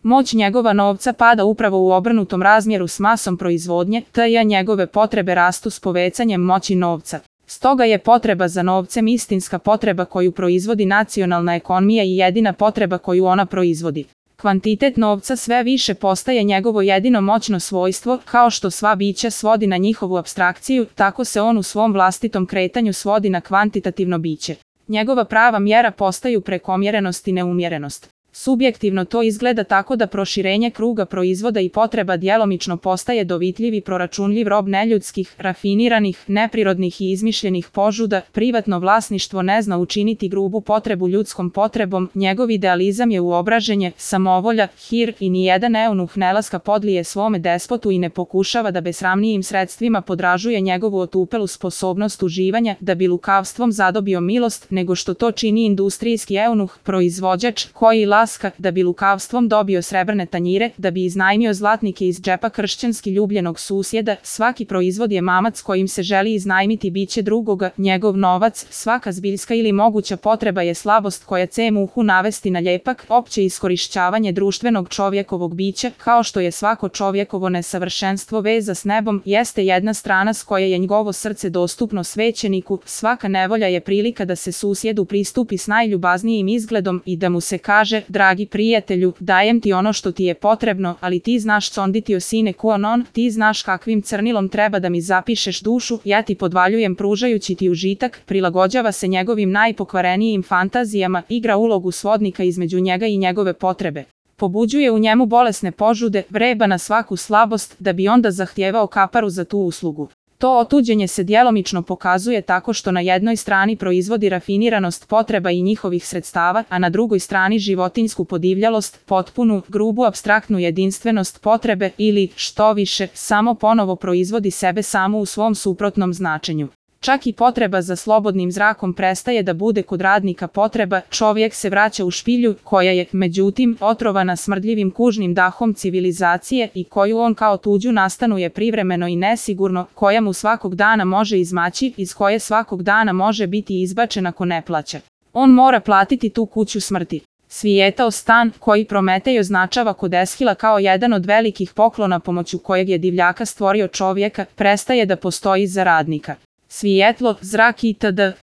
Moć njegova novca pada upravo u obrnutom razmjeru s masom proizvodnje, te njegove potrebe rastu s povećanjem moći novca. Stoga je potreba za novcem istinska potreba koju proizvodi nacionalna ekonomija i jedina potreba koju ona proizvodi. Kvantitet novca sve više postaje njegovo jedino moćno svojstvo, kao što sva bića svodi na njihovu apstrakciju, tako se on u svom vlastitom kretanju svodi na kvantitativno biće. Njegova prava mjera postaju prekomjerenost i neumjerenost. Subjektivno to izgleda tako da proširenje kruga proizvoda i potreba djelomično postaje dovitljiv i proračunljiv rob neljudskih, rafiniranih, neprirodnih i izmišljenih požuda, privatno vlasništvo ne zna učiniti grubu potrebu ljudskom potrebom, njegov idealizam je uobraženje, samovolja, hir i nijedan eunuh ne laska podlije svome despotu i ne pokušava da besramnijim sredstvima podražuje njegovu otupelu sposobnost uživanja da bi lukavstvom zadobio milost, nego što to čini industrijski eunuh, proizvođač, koji da bi lukavstvom dobio srebrne tanjire, da bi iznajmio zlatnike iz džepa kršćanski ljubljenog susjeda. Svaki proizvod je mamac kojim se želi iznajmiti biće drugoga, njegov novac, svaka zbiljska ili moguća potreba je slabost koja će muhu navesti na ljepak, opće iskorišćavanje društvenog čovjekovog bića, kao što je svako čovjekovo nesavršenstvo veza s nebom, jeste jedna strana s koje je njegovo srce dostupno svećeniku, svaka nevolja je prilika da se susjedu pristupi s najljubaznijim izgledom i da mu se kaže: dragi prijatelju, dajem ti ono što ti je potrebno, ali ti znaš conditio sine qua non, ti znaš kakvim crnilom treba da mi zapišeš dušu, ja ti podvaljujem pružajući ti užitak, prilagođava se njegovim najpokvarenijim fantazijama, igra ulogu svodnika između njega i njegove potrebe. Pobuđuje u njemu bolesne požude, vreba na svaku slabost, da bi onda zahtijevao kaparu za tu uslugu. To otuđenje se djelomično pokazuje tako što na jednoj strani proizvodi rafiniranost potreba i njihovih sredstava, a na drugoj strani životinjsku podivljalost, potpunu, grubu apstraktnu jedinstvenost potrebe ili, što više, samo ponovo proizvodi sebe samu u svom suprotnom značenju. Čak i potreba za slobodnim zrakom prestaje da bude kod radnika potreba, čovjek se vraća u špilju, koja je, međutim, otrovana smrdljivim kužnim dahom civilizacije i koju on kao tuđu nastanuje privremeno i nesigurno, koja mu svakog dana može izmaći, iz koje svakog dana može biti izbačen ako ne plaća. On mora platiti tu kuću smrti. Svijetao stan, koji Prometej označava kod Eshila kao jedan od velikih poklona pomoću kojeg je divljaka stvorio čovjeka, prestaje da postoji za radnika. Svijetlo, zrak itd.